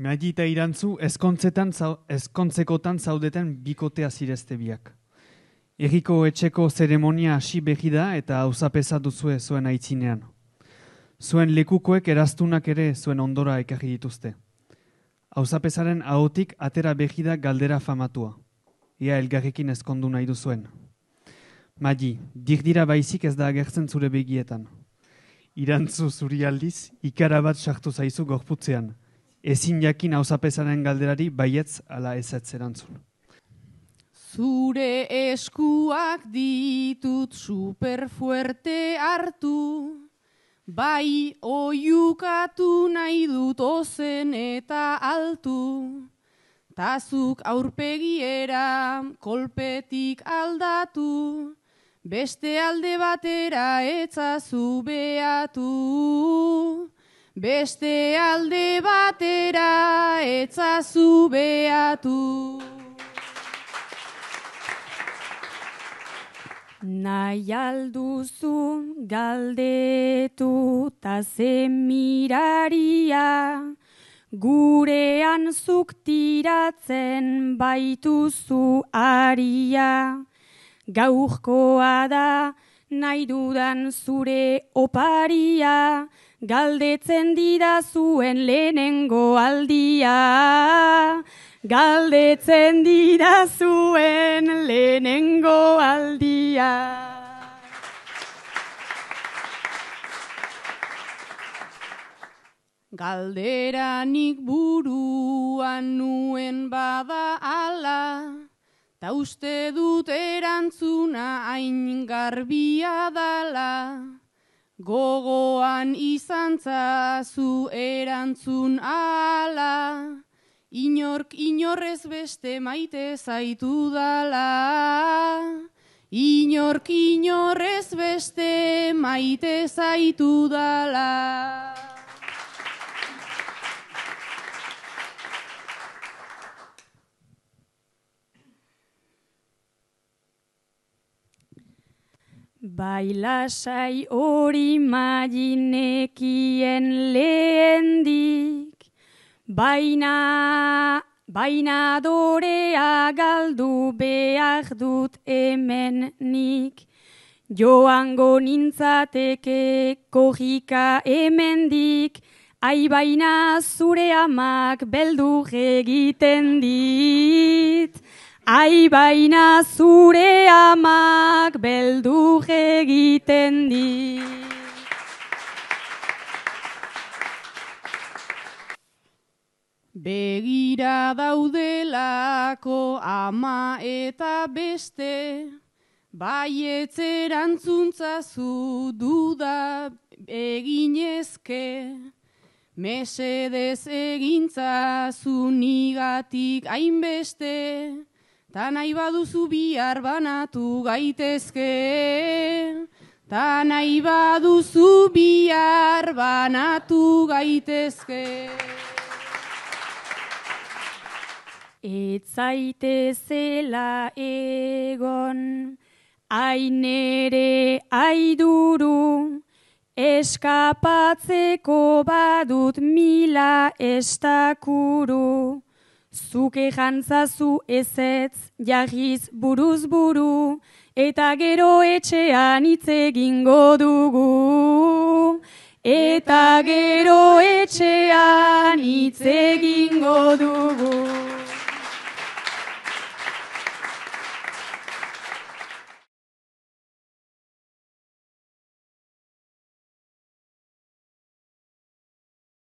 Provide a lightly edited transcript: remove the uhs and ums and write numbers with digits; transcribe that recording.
Madi eta Irantzu ezkontzekotan zaudeten bikotea zirezte biak. Herriko etxeko zeremonia hasi behi da eta auzapeza duzue zuen aitzinean. Zuen lekukoek eraztunak ere zuen ondora ekarri dituzte. Auzapezaren ahotik atera behi da galdera famatua. Ia elgarrekin ezkondu nahi duzuen. Madi, dirdira baizik ez da agertzen zure begietan. Irantzu zuri aldiz, ikara bat sartu zaizu gorputzean. Ezin jakin auzapezaren galderari baietz ala ezetz erantzun. Zure eskuak ditut superfuerte hartu, bai oiukatu nahi dut ozen eta altu, tazuk aurpegiera kolpetik aldatu, beste alde batera etzazu beatu. Beste alde batera etzazu beatu. Nahi alduzu galdetu ta zemiraria, gurean zuk tiratzen baituzu aria. Gaurkoa da nahi dudan zure oparia, galdetzen didazuen lehenengo aldia. Galdetzen didazuen lehenengo aldia. Galderanik buruan nuen bada ala, ta uste dut erantzuna hain garbia dala. Gogoan izan zazu erantzun ala, inork inorrez beste maite zaitu dala. Inork inorrez beste maite zaitu dala. Bai lasai hori maginekien lehendik, baina dorea galdu behar dut hemen nik. Joango nintzateke korrika hemendik, ai baina zure amak beldur egiten dit. Ai baina zure amak beldur egiten dit. Begira daudelako ama eta beste, baietz erantzuntzazu duda eginezke. Mesedez egintzazu nigatik hainbeste, ta nahi baduzu bihar banatu gaitezke. Ta nahi baduzu bihar banatu gaitezke. Ez zaitezela egon, ainere aiduru, eskapatzeko badut mila estakuru. Zuke jantzazu ezetz jarriz buruz buru, eta gero etxean hitz egingo dugu. Eta gero etxean hitz egingo dugu.